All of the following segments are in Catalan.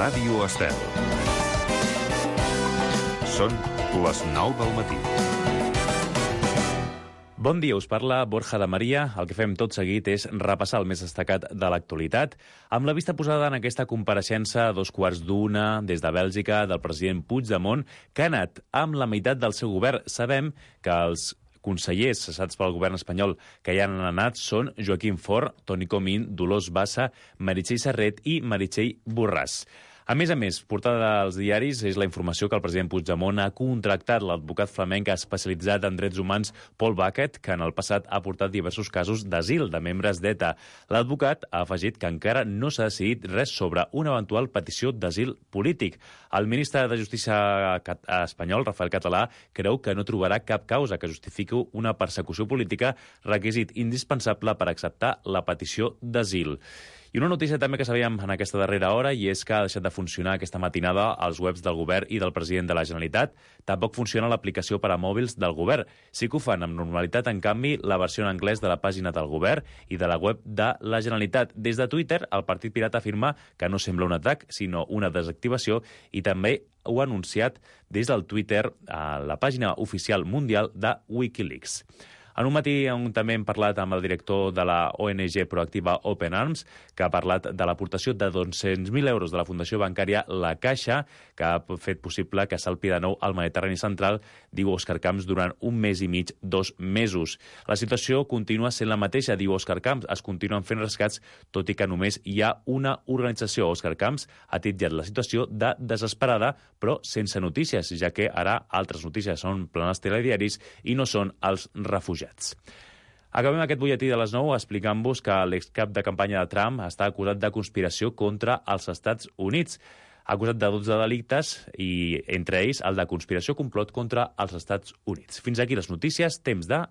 Ràdio Estel. Són les 9 del matí. Bon dia, us parla Borja de Maria. El que fem tot seguit és repassar el més destacat de l'actualitat, amb la vista posada en aquesta compareixença a 2:15 des de Bèlgica del president Puigdemont, que ha anat amb la meitat del seu govern. Sabem que els consellers cessats pel govern espanyol que ja han anat són Joaquim Forn, Toni Comín, Dolors Bassa, Meritxell Serret i Meritxell Borràs. A més, portada als diaris és la informació que el president Puigdemont ha contractat l'advocat flamenc especialitzat en drets humans Paul Bucket, que en el passat ha portat diversos casos d'asil de membres d'ETA. L'advocat ha afegit que encara no s'ha decidit res sobre una eventual petició d'asil polític. El ministre de Justícia espanyol, Rafael Català, creu que no trobarà cap causa que justifiqui una persecució política, requisit indispensable per acceptar la petició d'asil. I una notícia també que sabíem en aquesta darrera hora, i és que ha deixat de funcionar aquesta matinada als webs del govern i del president de la Generalitat. Tampoc funciona l'aplicació per a mòbils del govern. Sí que ho fan amb normalitat, en canvi, la versió en anglès de la pàgina del govern i de la web de la Generalitat. Des de Twitter, el Partit Pirata afirma que no sembla un atac, sinó una desactivació, i també ho ha anunciat des del Twitter a la pàgina oficial mundial de Wikileaks. En un matí on també hem parlat amb el director de la ONG proactiva Open Arms, que ha parlat de l'aportació de 200.000 euros de la Fundació Bancària La Caixa, que ha fet possible que salpi de nou al Mediterrani central, diu Òscar Camps, durant un mes i mig, 2 mesos. La situació continua sent la mateixa, diu Òscar Camps. Es continuen fent rescats, tot i que només hi ha una organització. Òscar Camps ha titllat la situació de desesperada, però sense notícies, ja que ara altres notícies són planes telediaris i no són els refugiats. Acabem aquest butlletí de les 9 explicant-vos que l'excap de campanya de Trump està acusat de conspiració contra els Estats Units. Acusat de 12 delictes i, entre ells, el de conspiració complot contra els Estats Units. Fins aquí les notícies. Temps de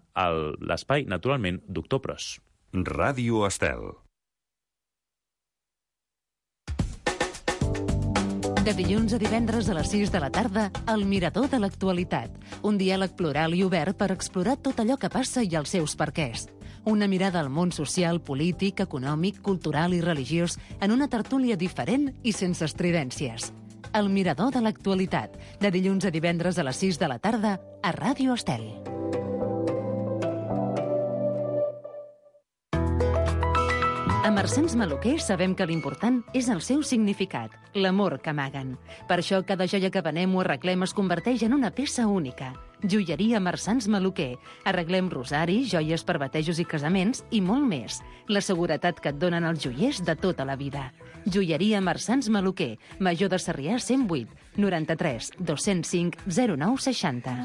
l'espai, naturalment, Doctor Pros. Ràdio Estel. De dilluns a divendres a les 6 de la tarda, El Mirador de l'Actualitat. Un diàleg plural i obert per explorar tot allò que passa i els seus perquès. Una mirada al món social, polític, econòmic, cultural i religiós en una tertúlia diferent i sense estridències. El Mirador de l'Actualitat. De dilluns a divendres a les 6 de la tarda a Ràdio Estel. A Marsans Maluquer sabem que l'important és el seu significat, l'amor que amaguen. Per això cada joia que venem o arreglem es converteix en una peça única. Joieria Marsans Maluquer. Arreglem rosaris, joies per batejos i casaments i molt més. La seguretat que et donen els joiers de tota la vida. Joieria Marsans Maluquer. Major de Sarrià 108 93 205 0960.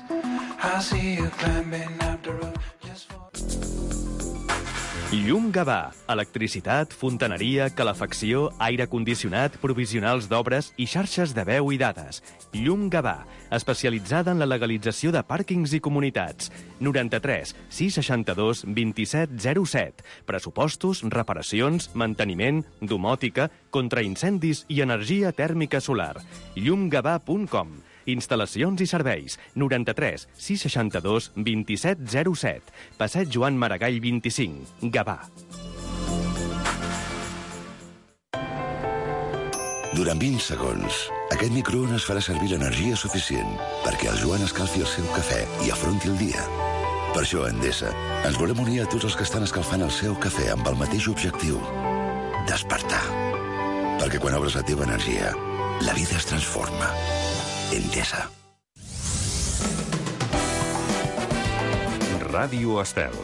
Llum Gavà. Electricitat, fontaneria, calefacció, aire condicionat, provisionals d'obres i xarxes de veu i dades. Llum Gavà, especialitzada en la legalització de pàrquings i comunitats. 93 662 2707. Pressupostos, reparacions, manteniment, domòtica, contraincendis i energia tèrmica solar. llumgavà.com. Instal·lacions i serveis. 93 662 2707. Passeig Joan Maragall 25. Gavà. Durant 20 segons, aquest microones farà servir l'energia suficient perquè el Joan escalfi el seu cafè i afronti el dia. Per això, a Endesa, ens volem unir a tots els que estan escalfant el seu cafè amb el mateix objectiu: despertar. Perquè quan obres la teva energia, la vida es transforma. Endesa. Ràdio Estel.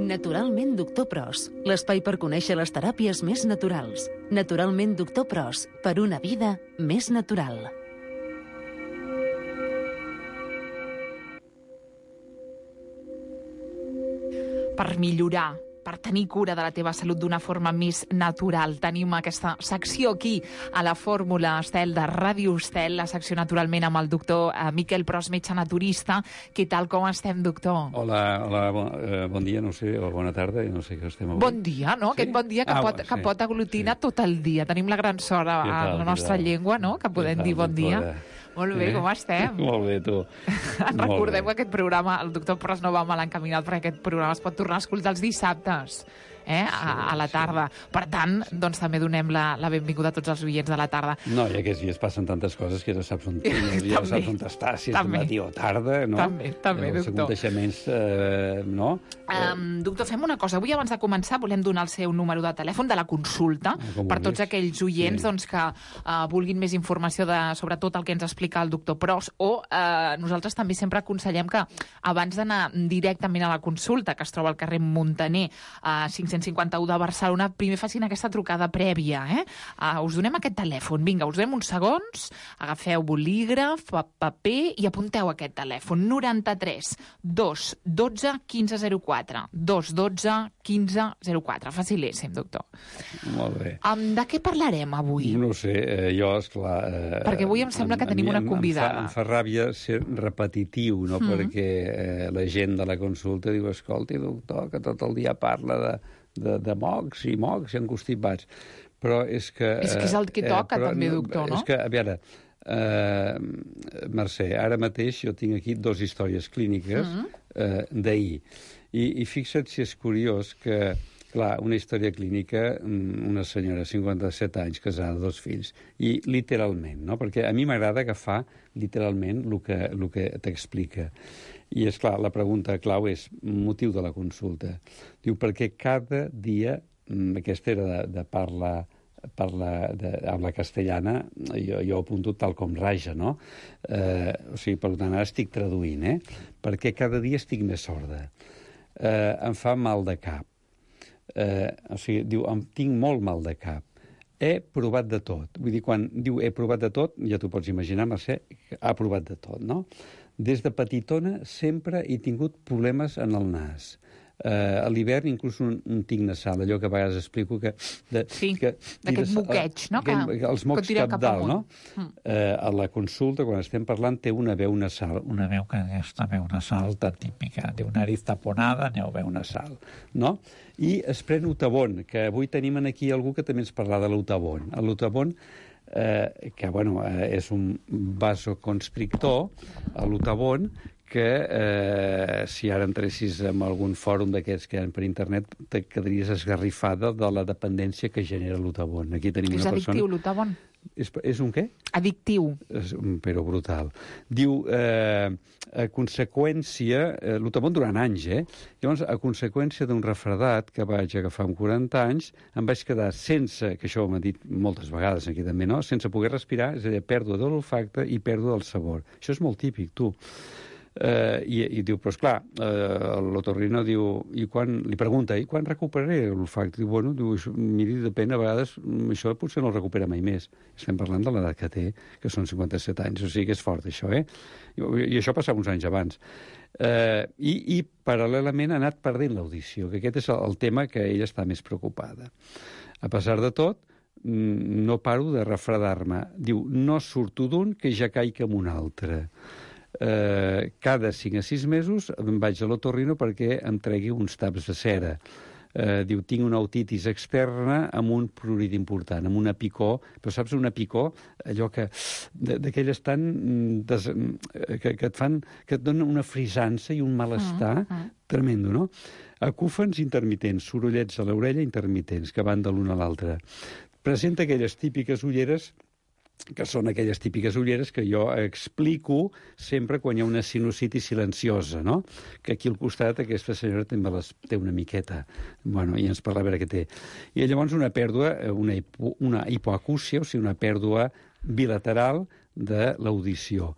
Naturalment Doctor Pros, l'espai per conèixer les teràpies més naturals. Naturalment Doctor Pros, per una vida més natural. Per millorar, per tenir cura de la teva salut d'una forma més natural. Tenim aquesta secció aquí a la Fórmula Estel de Ràdio Estel, la secció naturalment amb el doctor Miquel Pros, metge naturista. Què tal, com estem, doctor? Hola, bon dia, no sé, o bona tarda, no sé què estem avui. Bon dia, no? Sí? Aquest bon dia que pot aglutinar tot el dia. Tenim la gran sort a la nostra llengua, no?, que podem dir bon dia. Molt bé, com estem? Molt bé, tu. Recordem que aquest programa, el doctor Pras no va mal encaminat, perquè aquest programa es pot tornar a escoltar els dissabtes, a la tarda. Per tant, doncs també donem la benvinguda a tots els oients de la tarda. No, i aquests dies passen tantes coses que ja saps on estàs, si és de matí o tarda, no? També, doctor. Els aconteixements, no? Doctor, fem una cosa. Avui, abans de començar, volem donar el seu número de telèfon de la consulta per tots aquells oients que vulguin més informació sobre tot el que ens explica el doctor Pras, o nosaltres també sempre aconsellem que abans d'anar directament a la consulta, que es troba al carrer Muntaner, 551 de Barcelona, primer facin aquesta trucada prèvia. Us donem aquest telèfon. Vinga, us donem uns segons, agafeu bolígraf, paper i apunteu aquest telèfon. 93 212 1504. 212 1504. Facilíssim, doctor. Molt bé. De què parlarem avui? No ho sé, jo, esclar... Perquè avui em sembla que tenim una convidada. Em fa ràbia ser repetitiu, no? Perquè la gent de la consulta diu, escolti, doctor, que tot el dia parla de mocs i enconstipats. Però és que... És que és el que toca, també, doctor, no? És que, a veure, Mercè, ara mateix jo tinc aquí 2 històries clíniques d'ahir. I fixa't si és curiós que, clar, una història clínica, una senyora de 57 anys, casada, 2 fills, i literalment, no? Perquè a mi m'agrada agafar literalment el que t'explica. I, és clar, la pregunta clau és motiu de la consulta. Diu, perquè cada dia, aquesta era de parla castellana, jo apunto tal com raja, no? O sigui, per tant, ara estic traduint, perquè cada dia estic més sorda. Em fa mal de cap. O sigui, diu, tinc molt mal de cap. He provat de tot. Vull dir, quan diu he provat de tot, ja t'ho pots imaginar, Mercè, ha provat de tot, no? Des de petitona sempre he tingut problemes en el nas. A l'hivern inclús un tic nasal, allò que a vegades explico que... d'aquest moqueig, no? Els mocs cap dalt, no? A la consulta, quan estem parlant, té una veu nasal. Una veu que aquesta veu nasal tan típica, de una nariz taponada, veu nasal, no? I es pren Utavon, que avui tenim aquí algú que també ens parla de l'Utavon. L'Utavon, que, bueno, és un vasoconstrictor, l'Utavon, que si ara entressis en algun fòrum d'aquests que hi ha per internet te quedaries esgarrifada de la dependència que genera l'Utavon. Aquí tenim una persona... És addictiu, l'Utavon? És un què? Addictiu. Però brutal. Diu, a conseqüència... L'Utavon durant anys, Llavors, a conseqüència d'un refredat que vaig agafar amb 40 anys, em vaig quedar sense, que això m'ha dit moltes vegades aquí també, no? Sense poder respirar, és a dir, pèrdua de l'olfacte i pèrdua del sabor. Això és molt típic, tu. I diu, però esclar, l'otorrino diu, li pregunta, i quan recuperaré l'olfacte? Diu, bueno, miri, depèn, a vegades això potser no el recupera mai més. Estem parlant de l'edat que té, que són 57 anys, o sigui que és fort, això, I això passava uns anys abans. I paral·lelament ha anat perdent l'audició, que aquest és el tema que ella està més preocupada. A pesar de tot, no paro de refredar-me. Diu, no surto d'un que ja caic en un altre. Cada 5 a 6 mesos em vaig a l'otorrino perquè em tregui uns taps de cera. Diu, tinc una otitis externa amb un prurit important, amb una picor, però saps, una picor, allò que d'aquelles tan que et fan, que et donen una frisança i un malestar tremendo, no? Acúfens intermitents, sorollets a l'orella intermitents, que van de l'una a l'altra. Presenta aquelles típiques ulleres que són aquelles típiques ulleres que jo explico sempre quan hi ha una sinusitis silenciosa, no? Que aquí al costat aquesta senyora també les té una miqueta. Bueno, i ens parla a veure què té. I llavors una pèrdua, una hipoacúsia, o sigui, una pèrdua bilateral de l'audició.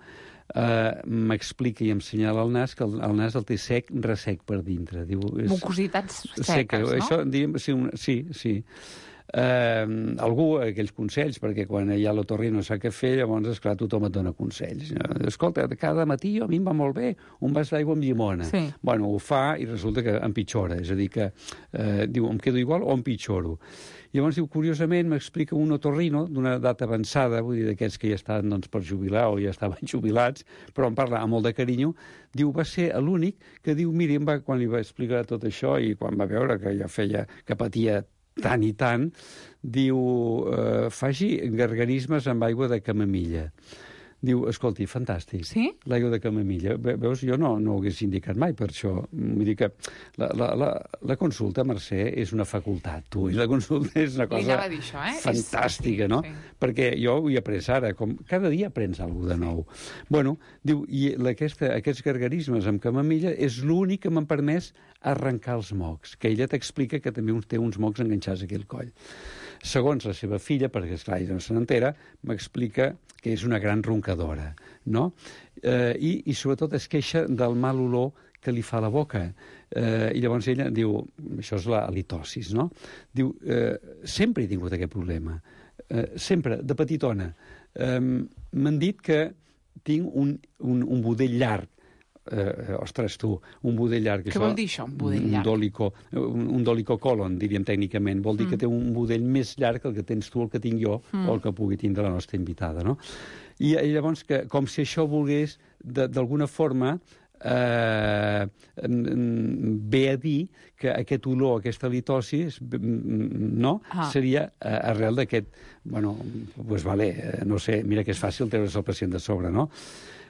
M'explica i em senyala el nas que el nas el té sec, ressec per dintre. Mucositats seques, no? Això, sí. Algú, aquells consells, perquè quan hi ha l'otorrino sap què fer, llavors, esclar, tothom et dona consells. Escolta, cada matí a mi em va molt bé un vas d'aigua amb llimona. Sí. Bueno, ho fa i resulta que empitjora, és a dir, que diu, em quedo igual o empitjoro. Llavors, diu, curiosament, m'explica un otorrino d'una edat avançada, vull dir, d'aquests que ja estan per jubilar o ja estaven jubilats, però em parla amb molt de carinyo, diu, va ser l'únic que diu, miri, quan li va explicar tot això i quan va veure que ja feia, que patia tant i tant, diu, faci gargarismes amb aigua de camamilla. Diu, escolti, fantàstic. Sí? L'aigua de camamilla. Veus, jo no ho hagués indicat mai per això. Vull dir que la consulta, Mercè, és una facultat, tu. I la consulta és una cosa això, fantàstica, no? Sí. Perquè jo ho he après ara, com cada dia aprens alguna de nou. Bueno, diu, i aquests gargarismes amb camamilla és l'únic que m'han permès arrencar els mocs, que ella t'explica que també té uns mocs enganxats aquí al coll. Segons la seva filla, perquè esclar, ella no se n'entera, m'explica que és una gran roncadora, no? I sobretot es queixa del mal olor que li fa la boca. I llavors ella diu, això és la halitosis, no? Diu, sempre he tingut aquest problema, sempre, de petitona. M'han dit que tinc un budell llarg. Ostres, tu, un budell llarg. Què vol dir això, un budell llarg? Un dolicocolon, diríem tècnicament. Vol dir que té un budell més llarg que el que tens tu, el que tinc jo, o el que pugui tindre la nostra invitada, no? I llavors, com si això volgués, d'alguna forma, ve a dir que aquest olor, aquesta halitosi, no? Seria arrel d'aquest... Bueno, doncs vale, no sé, mira que és fàcil treure's el pacient de sobre, no?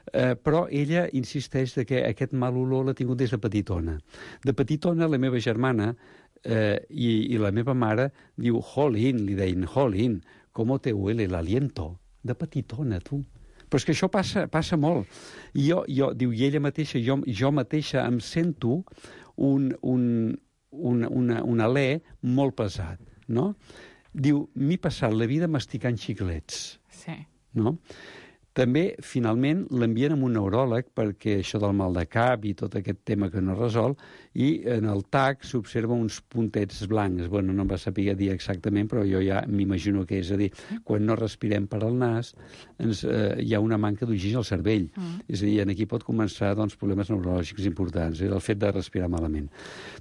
Però ella insisteix que aquest mal olor l'ha tingut des de petitona. De petitona, la meva germana i la meva mare diu, jolín, li deien, jolín, com te huele el aliento. De petitona, tu. Però és que això passa molt. I diu, i ella mateixa, jo mateixa em sento un alè molt pesat, no? Diu, m'he passat la vida masticant xiclets. Sí. No? També, finalment, l'envien amb un neuròleg perquè això del mal de cap i tot aquest tema que no resol, i en el TAC s'observa uns puntets blancs. Bueno, no em va saber dir exactament, però jo ja m'imagino que és a dir, quan no respirem per al nas, hi ha una manca d'oxigen al cervell. És a dir, aquí pot començar problemes neurològics importants, el fet de respirar malament.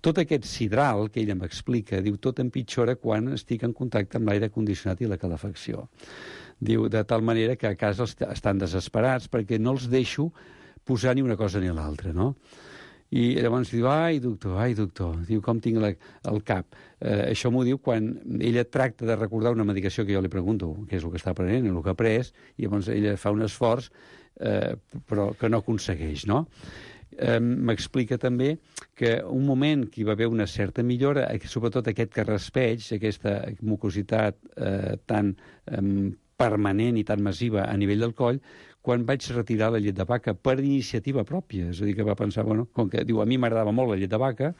Tot aquest sidral que ella m'explica, diu, tot empitjora quan estic en contacte amb l'aire condicionat i la calefacció. Diu, de tal manera que a casa estan desesperats perquè no els deixo posar ni una cosa ni l'altra, no? I llavors diu, ai, doctor, diu, com tinc el cap. Això m'ho diu quan ella tracta de recordar una medicació que jo li pregunto què és el que està prenent, el que ha pres, i llavors ella fa un esforç, però que no aconsegueix, no? M'explica també que un moment que hi va haver una certa millora, sobretot aquest carraspeig, aquesta mucositat tan permanent i tan massiva a nivell del coll, quan vaig retirar la llet de vaca per iniciativa pròpia. És a dir, que va pensar, bueno, com que diu, a mi m'agradava molt la llet de vaca,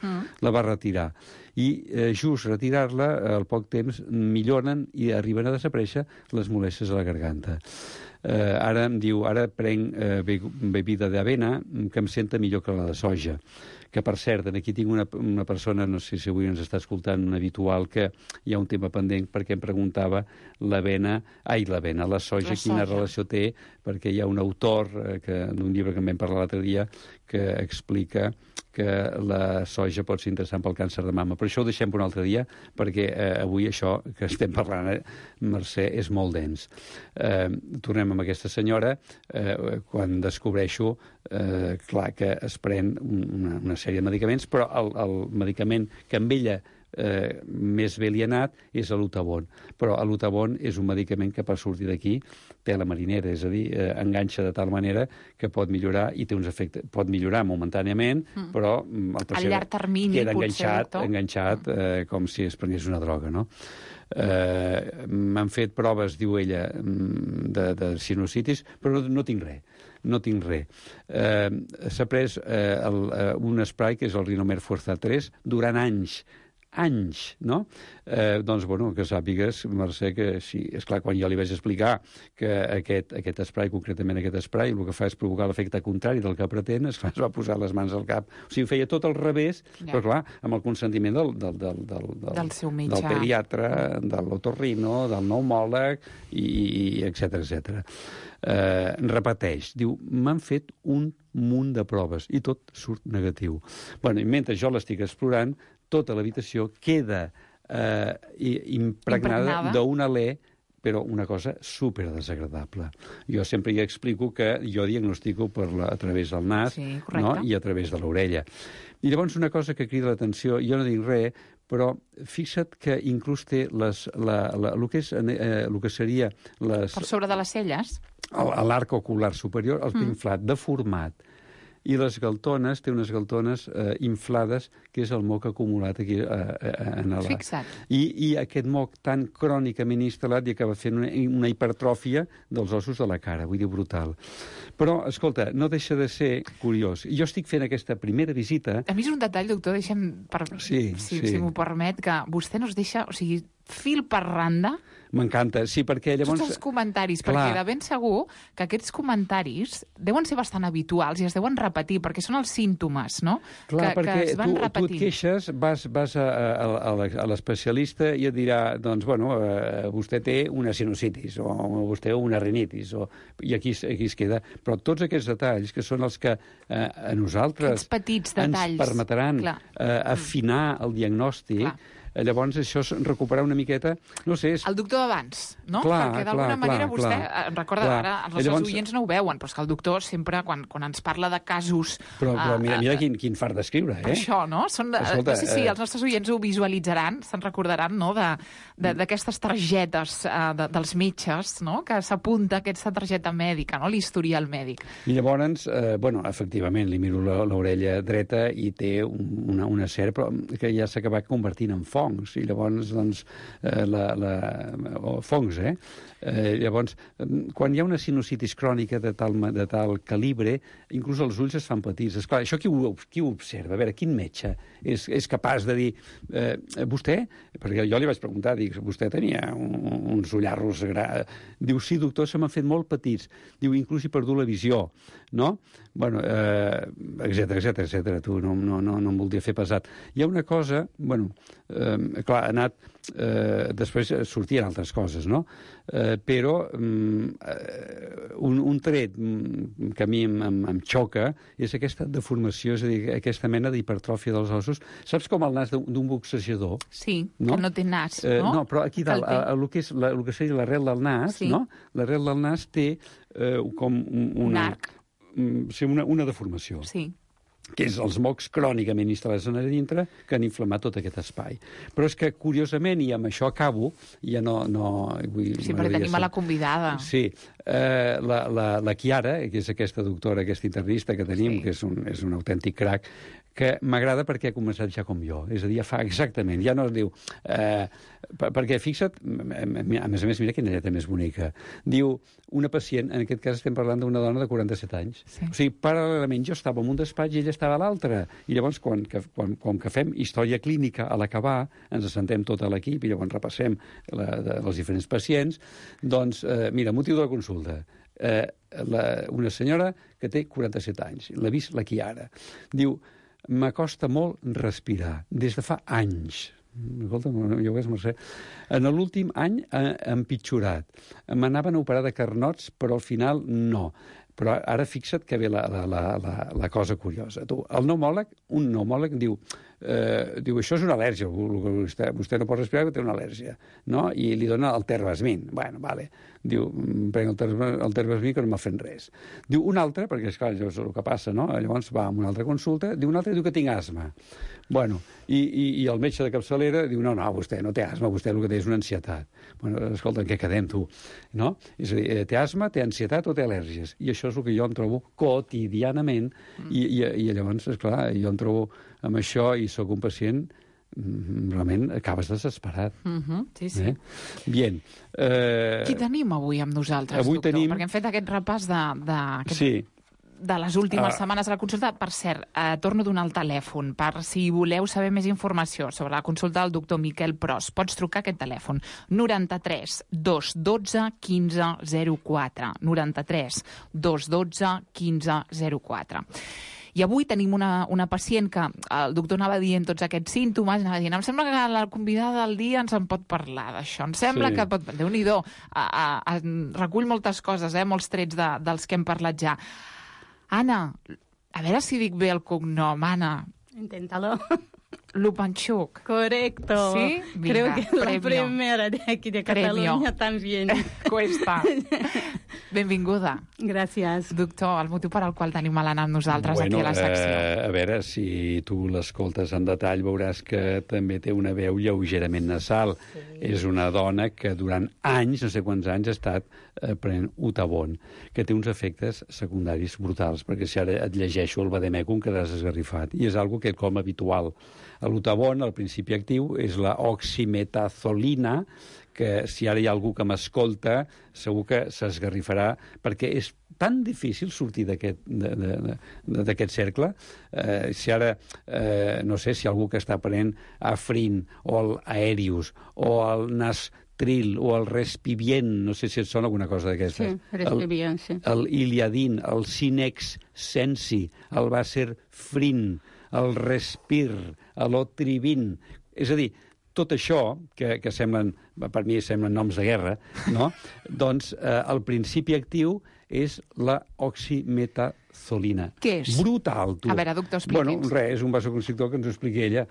la va retirar. I just retirar-la, al poc temps, milloren i arriben a desaparèixer les molèsties a la garganta. Ara em diu, ara prenc bebida d'avena que em senta millor que la de soja. Que, per cert, aquí tinc una persona, no sé si avui ens està escoltant, un habitual, que hi ha un tema pendent perquè em preguntava la soja, quina relació té, perquè hi ha un autor d'un llibre que en vam parlar l'altre dia que explica que la soja pot ser interessant pel càncer de mama. Però això ho deixem per un altre dia, perquè avui això que estem parlant, Mercè, és molt dens. Tornem amb aquesta senyora, quan descobreixo, clar, que es pren una sèrie de medicaments, però el medicament que amb ella més bé li ha anat és l'Utavon. Però l'Utavon és un medicament que per sortir d'aquí té la marinera, és a dir, enganxa de tal manera que pot millorar i té uns efectes, pot millorar momentàniament, però el pacient a llarg termini queda enganxat com si es prengués una droga, no? M'han fet proves, diu ella, de sinusitis, però no tinc res. No tinc res. S'ha pres un spray que és el Rinomer Fuerza 3 durant anys, no? Doncs, bueno, que sàpigues, Mercè, que sí, esclar, quan jo li vaig explicar que aquest spray, concretament aquest spray, el que fa és provocar l'efecte contrari del que pretén, esclar, es va posar les mans al cap. O sigui, feia tot al revés, però clar, amb el consentiment del seu metge, del pediatre, de l'otorrino, del pneumòleg, i etcètera. Repeteix, diu, m'han fet un munt de proves i tot surt negatiu. Bueno, i mentre jo l'estic explorant, tota l'habitació queda impregnada d'un alè, però una cosa super desagradable. Jo sempre hi explico que jo diagnostico a través del nas, no? I a través de l'orella. I llavors una cosa que crida l'atenció, jo no dic res, però fixa't que inclús té el que seria les... Per sobre de les celles? l'arc ocular superior el té inflat, deformat. I les galtones, té unes galtones inflades, que és el moc acumulat aquí en la... Fixa't. I aquest moc tan crònicament instal·lat i acaba fent una hipertròfia dels ossos de la cara, vull dir, brutal. Però, escolta, no deixa de ser curiós. Jo estic fent aquesta primera visita... A mi és un detall, doctor, deixem, si m'ho permet, que vostè no es deixa, o sigui, fil per randa... M'encanta, sí, perquè llavors... Tots els comentaris, perquè de ben segur que aquests comentaris deuen ser bastant habituals i es deuen repetir, perquè són els símptomes, no? Clar, que es van perquè tu et repetint. queixes, vas a l'especialista i et dirà, doncs, bueno, vostè té una sinusitis, o vostè una rinitis, i aquí es queda. Però tots aquests detalls, que són els que a nosaltres aquests petits detalls ens permetran afinar el diagnòstic, llavors això és recuperar una miqueta... No sé, el doctor d'abans, no? Clar, perquè d'alguna manera vostè... Recorda, ara els nostres oients no ho veuen, però és que el doctor sempre, quan ens parla de casos... Però mira quin fart d'escriure, eh? Això, no? Escolta, no sé si els nostres oients ho visualitzaran, se'n recordaran, no?, d'aquestes targetes dels metges, no?, que s'apunta aquesta targeta mèdica, no?, l'historial mèdic. I llavors, efectivament, li miro l'orella dreta i té una serp que ja s'ha acabat convertint en fongs, i llavors, doncs, fongs, llavors, quan hi ha una sinusitis crònica de tal calibre, inclús els ulls es fan petits. Esclar, això qui ho observa? A veure, quin metge és capaç de dir... Vostè? Perquè jo li vaig preguntar, dic, vostè tenia uns ullarros... Diu, sí, doctor, se m'han fet molt petits. Diu, inclús he perdut la visió, no? Bueno, etcètera. Tu no em voldria fer pesat. Hi ha una cosa, bueno, clar, ha anat... després sortien altres coses, no? Però un tret que a mi em xoca és aquesta deformació, és a dir, aquesta mena d'hipertròfia dels ossos. Saps com el nas d'un boxejador? Sí, no? Que no té nas, no? No, però aquí dalt, el que seria l'arrel del nas, no? L'arrel del nas té com un arc. Sí, una deformació. Sí. Que és els mocs crònicament instal·lats a dintre que han inflamat tot aquest espai. Però és que, curiosament, i amb això acabo, ja no sí, perquè tenim a la convidada. Sí, la Chiara, que és aquesta doctora, aquesta internista que tenim, que és un autèntic crac, que m'agrada perquè ha començat ja com jo. És a dir, ja fa exactament, ja no es diu... perquè, fixa't, a més, mira quina lletra més bonica. Diu, una pacient, en aquest cas estem parlant d'una dona de 47 anys. Sí. O sigui, paral·lelament jo estava en un despatx i ella estava a l'altre. I llavors, quan que fem història clínica a l'acabar, ens assentem tot a l'equip i llavors repassem els diferents pacients, doncs, mira, motiu de la consulta. Una senyora que té 47 anys, l'ha vist la Chiara. Diu, m'acosta molt respirar, des de fa anys. Escolta, jo ho veig, Mercè. En l'últim any ha empitjorat. M'anaven a operar de carnots, però al final no. Però ara fixa't que ve la cosa curiosa. Tu, un pneumòleg diu, això és una al·lèrgia, vostè no pot respirar perquè té una al·lèrgia, no? I li dona el terbasmin. Bueno, vale. Diu, prenc el terbasmin que no m'ha fet res. Diu un altre, perquè esclar, això és el que passa, no? Llavors va a una altra consulta, un altre diu que tinc asma. Bueno, i el metge de capçalera diu, no, vostè no té asma, vostè el que té és una ansietat. Bueno, escolta, en què quedem, tu? No? És a dir, té asma, té ansietat o té al·lèrgies? I això és el que jo em trobo quotidianament, i llavors, esclar, jo em trobo amb això i sóc un pacient, realment acabes desesperat. Sí, sí. Bien. Qui tenim avui amb nosaltres, doctor? Perquè hem fet aquest repàs de les últimes setmanes a la consulta. Per cert, torno a donar el telèfon per si voleu saber més informació sobre la consulta del doctor Miquel Pros. Pots trucar a aquest telèfon 93 212 15 04 93 212 15 04. I avui tenim una pacient que el doctor anava dient tots aquests símptomes, anava dient, em sembla que la convidada del dia ens en pot parlar d'això, em sembla que pot... Déu-n'hi-do, recull moltes coses, molts trets dels que hem parlat ja. Anna, a veure si dic bé el cognom, Anna. Inténtalo. Lupanchuk. Correcto. Sí, creo que es la premio. primera de aquí de Catalunya también. Cuesta. Benvinguda. Gràcies. Doctor, el motiu per al qual tenim a l'Anna amb nosaltres aquí a la secció. A veure, si tu l'escoltes en detall veuràs que també té una veu lleugerament nasal. Sí. És una dona que durant anys, no sé quants anys, ha estat prenent Utavon, que té uns efectes secundaris brutals, perquè si ara et llegeixo el vademecum quedaràs esgarrifat. I és algo que com habitual. L'Utavon, el principi actiu, és la oximetazolina, que si ara hi ha algú que m'escolta, segur que s'esgarrifarà, perquè és tan difícil sortir d'aquest cercle. Si ara, no sé, si algú que està prenent Afrin, o el Aerius, o el Nastril, o el Respivient, no sé si et sona alguna cosa d'aquestes. Sí, Respivient, sí. El Iliadin, el Cinex Sensi, el Vaserfrin, el Respir, l'Otrivin. És a dir, tot això, que semblen, per mi semblen noms de guerra, no? Doncs el principi actiu és la oximetazolina. Què és? Brutal, tu. A veure, doctor, expliqui'ns. Bueno, res, és un vasoconstrictor que ens ho expliqui ella.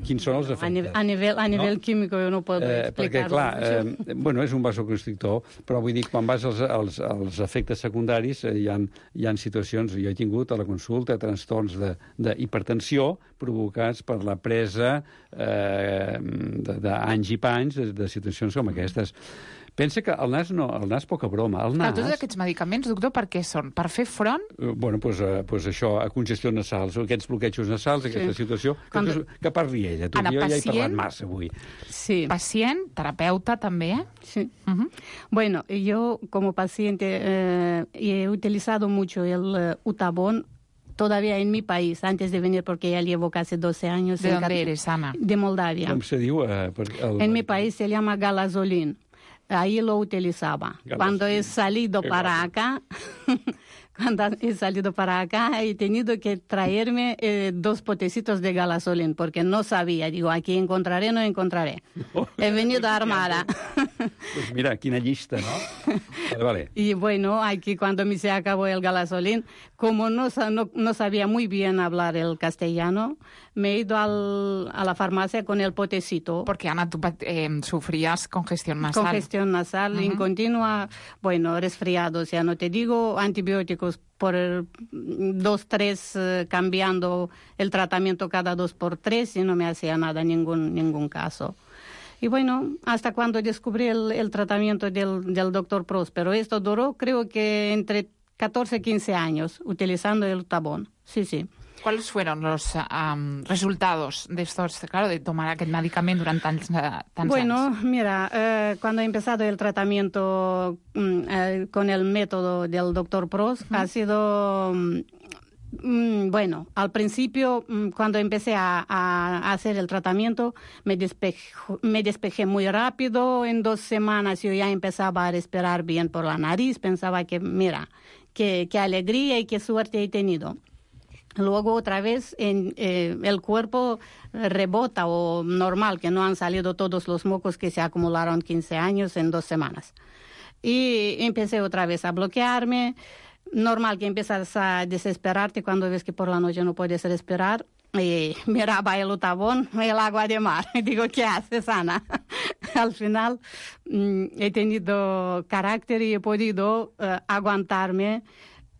Quins són els efectes? A nivell químic jo no puedo perquè, explicar-ho. clar, bueno, és un vasoconstrictor, però vull dir, quan vas als efectes secundaris, hi ha situacions, jo he tingut a la consulta trastorns d'hipertensió provocats per la presa d'anys i panys de situacions com aquestes. Pensa que el nas poca broma. El nas... Tots aquests medicaments, doctor, per què són? Per fer front? Bueno, doncs això, a congestions nasals, aquests bloquejos nasals, aquesta situació, que parli ella. Tu, jo ja he parlat massa avui. Sí. Pacient, terapeuta també, Sí. Bueno, yo como paciente he utilizado mucho el Utavon todavía en mi país, antes de venir, porque ya llevo casi 12 años. ¿De dónde eres, Ana? De Moldavia. Com se diu? En mi país se llama Galazolin. Ahí lo utilizaba. Cuando he salido para acá, he tenido que traerme 2 potecitos de Galazolin, porque no sabía. Digo, aquí encontraré, no encontraré. He venido armada. Pues mira, quina llista, ¿no? Vale. Y bueno, aquí cuando me se acabó el Galazolin, como no sabía muy bien hablar el castellano, me he ido a la farmacia con el potecito. Porque, Ana, tú sufrías congestión nasal. Congestión nasal incontinua, bueno, resfriados, ya no te digo, antibióticos por 2, 3, cambiando el tratamiento cada 2 por 3 y no me hacía nada, ningún caso. Y bueno, hasta cuando descubrí el tratamiento del doctor Próspero. Esto duró, creo que entre 14 y 15 años, utilizando el Utavon. Sí. ¿Cuáles fueron los resultados de estos, claro, de tomar aquel medicamento durante tantos años? Bueno, mira, cuando he empezado el tratamiento con el método del doctor Pros, ha sido... Bueno, al principio, cuando empecé a hacer el tratamiento, me despejé muy rápido. En 2 semanas yo ya empezaba a respirar bien por la nariz. Pensaba que, mira, qué alegría y qué suerte he tenido. Luego otra vez el cuerpo rebota o normal, que no han salido todos los mocos que se acumularon 15 años en 2 semanas. Y empecé otra vez a bloquearme. Normal que empiezas a desesperarte cuando ves que por la noche no puedes respirar. Y miraba el Utavon, el agua de mar. Y digo, ¿qué haces, Ana? Al final he tenido carácter y he podido aguantarme.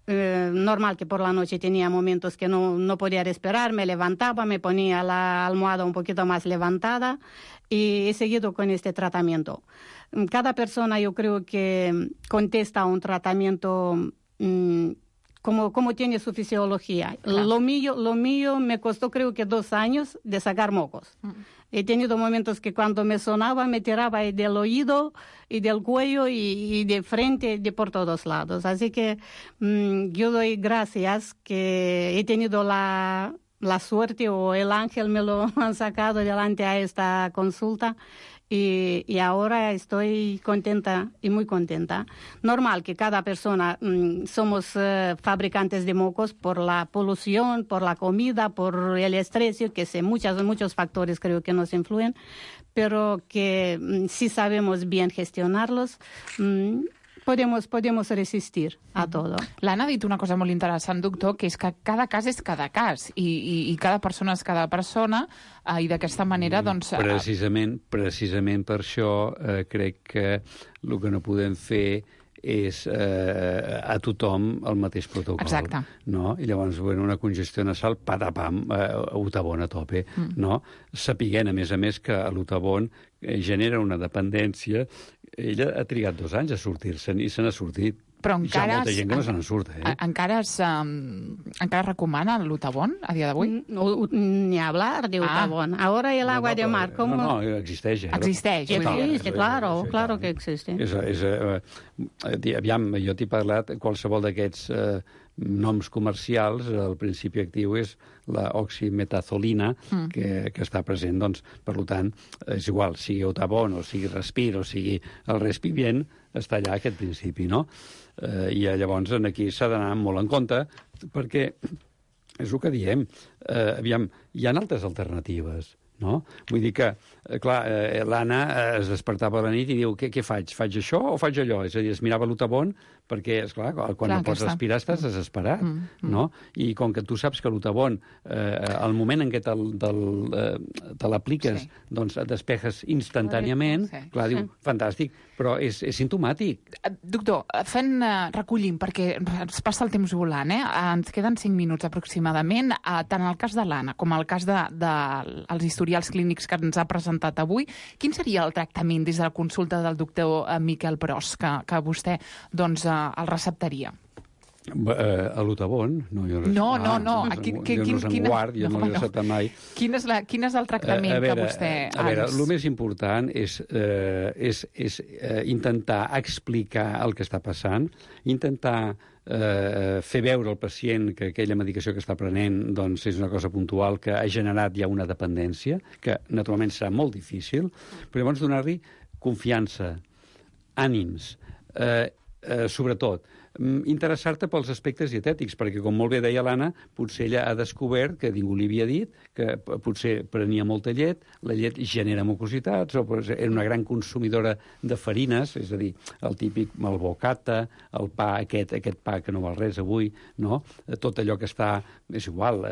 Normal que por la noche tenía momentos que no podía respirar, me levantaba, me ponía la almohada un poquito más levantada y he seguido con este tratamiento. Cada persona yo creo que contesta a un tratamiento como tiene su fisiología. Claro. Lo mío me costó creo que 2 años de sacar mocos. He tenido momentos que cuando me sonaba me tiraba del oído y del cuello y de frente, de por todos lados. Así que yo doy gracias que he tenido la suerte o el ángel me lo han sacado delante a esta consulta. Y ahora estoy contenta y muy contenta. Normal que cada persona somos fabricantes de mocos por la polución, por la comida, por el estrés, que sé, muchos factores creo que nos influyen, pero que si sabemos bien gestionarlos, podemos resistir a todo. L'Anna ha dit una cosa molt interessant, doctor, que és que cada cas és cada cas i cada persona és cada persona i d'aquesta manera, doncs... Precisament per això crec que el que no podem fer és a tothom el mateix protocol. Exacte. No? I llavors, una congestió nasal, patapam, Utabon a tope. No? Sapiguent, a més, que l'Utabon genera una dependència. Ella ha trigat 2 anys a sortir-se'n i se n'ha sortit. Però encara... Hi ha molta gent que no se n'en surt, Encara es recomana l'Utabon a dia d'avui? Ni hablar de Utabon. Ahora el agua de mar... No, existeix. Existeix. Existe, claro que existe. Aviam, jo t'he parlat, qualsevol d'aquests noms comercials, el principi actiu és l'oximetazolina, que està present, doncs, per tant, és igual, sigui Utabon, o sigui Respir, o sigui el Respivient, està allà aquest principi, no? I llavors aquí s'ha d'anar molt en compte, perquè és el que diem, aviam, hi ha altres alternatives, no? Vull dir que, clar, l'Anna es despertava a la nit i diu, què faig? Faig això o faig allò? És a dir, es mirava l'Utabon perquè, esclar, quan no pots respirar estàs desesperat, no? I com que tu saps que l'Utabon, al moment en què te l'apliques, doncs et despejes instantàniament, clar, diu, fantàstic, però és simptomàtic. Doctor, recollim, perquè ens passa el temps volant, ens queden 5 minuts aproximadament, tant el cas de l'Anna com el cas dels historials clínics que ens ha presentat avui. Quin seria el tractament des de la consulta del doctor Miquel Pros, que vostè, doncs, el receptaria? A l'Utabon? No. Jo no se'n guard, jo no l'he receptat mai. Quin és el tractament que vostè... A veure, el més important és intentar explicar el que està passant, intentar fer veure al pacient que aquella medicació que està prenent doncs, és una cosa puntual que ha generat ja una dependència, que naturalment serà molt difícil, però llavors donar-li confiança, ànims, sobretot, interessar-te pels aspectes dietètics, perquè, com molt bé deia l'Anna, potser ella ha descobert, que ningú li havia dit, que potser prenia molta llet, la llet genera mucositats, o era una gran consumidora de farines, és a dir, el típic malbocata, el pa, aquest pa que no val res avui, no? Tot allò que està, és igual,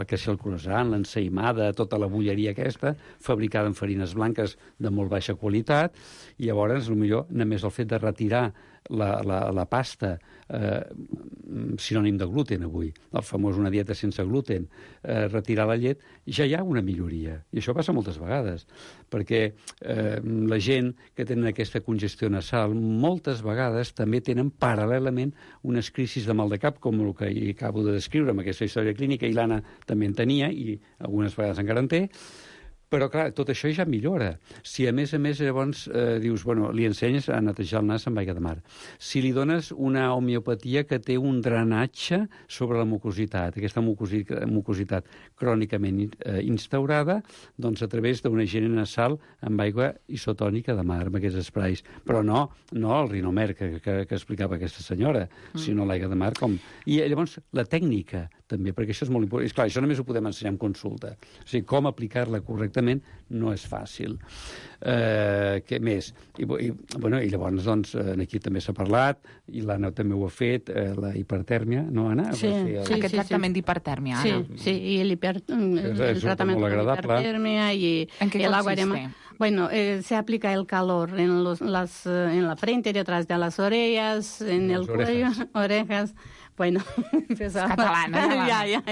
que si el croissant, l'ensaïmada, tota la bulleria aquesta, fabricada en farines blanques de molt baixa qualitat, i llavors, potser només el fet de retirar la pasta, sinònim de gluten avui, el famós una dieta sense gluten, retirar la llet, ja hi ha una milloria. I això passa moltes vegades, perquè la gent que tenen aquesta congestió nasal moltes vegades també tenen paral·lelament unes crisis de mal de cap, com el que acabo de descriure amb aquesta història clínica, i l'Anna també en tenia, i algunes vegades encara en té. Però, clar, tot això ja millora. Si, a més, llavors dius, bueno, li ensenyes a netejar el nas amb aigua de mar. Si li dones una homeopatia que té un drenatge sobre la mucositat, aquesta mucositat crònicament instaurada, doncs a través d'una higiene nasal amb aigua isotònica de mar, amb aquests esprais. Però no el rinomer que explicava aquesta senyora, sinó l'aigua de mar. I llavors la tècnica, també, perquè això és molt important. És clar, això només ho podem ensenyar en consulta. O sigui, com aplicar-la correctament no és fàcil. Què més? I llavors, doncs, aquí també s'ha parlat, i l'Anna també ho ha fet, la hipertèrmia, no, Anna? Sí. Aquest tractament d'hipertèrmia, Anna. Sí, i el tratament de hipertèrmia y el agua de mar. Bueno, se aplica el calor en la frente, detrás de las orejas, en el cuello, orejas. Bueno, catalana. Ya.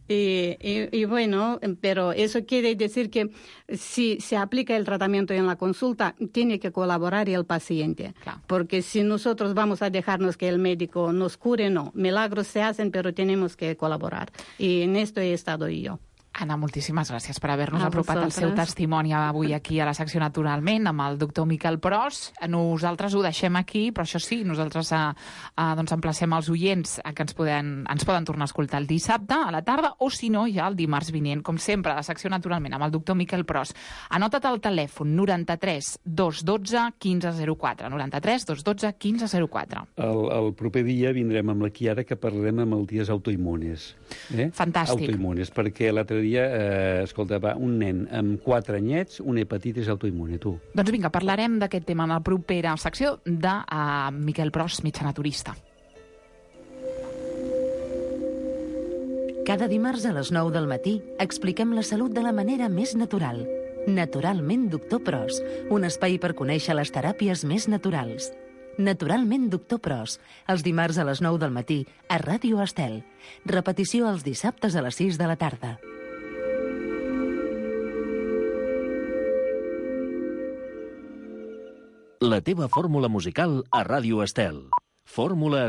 Y bueno, pero eso quiere decir que si se aplica el tratamiento en la consulta, tiene que colaborar el paciente. Claro. Porque si nosotros vamos a dejarnos que el médico nos cure, no. Milagros se hacen, pero tenemos que colaborar. Y en esto he estado yo. Anna, moltíssimes gràcies per haver-nos apropat el seu testimoni avui aquí a la secció Naturalment amb el doctor Miquel Pros. Nosaltres ho deixem aquí, però això sí, nosaltres doncs emplacem els oients a que ens poden tornar a escoltar el dissabte a la tarda o, si no, ja el dimarts vinent, com sempre, a la secció Naturalment amb el doctor Miquel Pros. Anota't el telèfon 93 212 1504. 93 212 1504. El proper dia vindrem amb la Chiara, que parlarem amb malalties autoimmunes. Fantàstic. Autoimmunes, perquè l'altre dia, escolta, va, un nen amb 4 anyets, una hepatitis autoimmune, tu. Doncs vinga, parlarem d'aquest tema en la propera secció de Miquel Pros, metge naturista. Cada dimarts a les 9 del matí expliquem la salut de la manera més natural. Naturalment Doctor Pros, un espai per conèixer les teràpies més naturals. Naturalment Doctor Pros, els dimarts a les 9 del matí a Ràdio Estel. Repetició els dissabtes a les 6 de la tarda. La teva fórmula musical a Ràdio Estel. Fórmula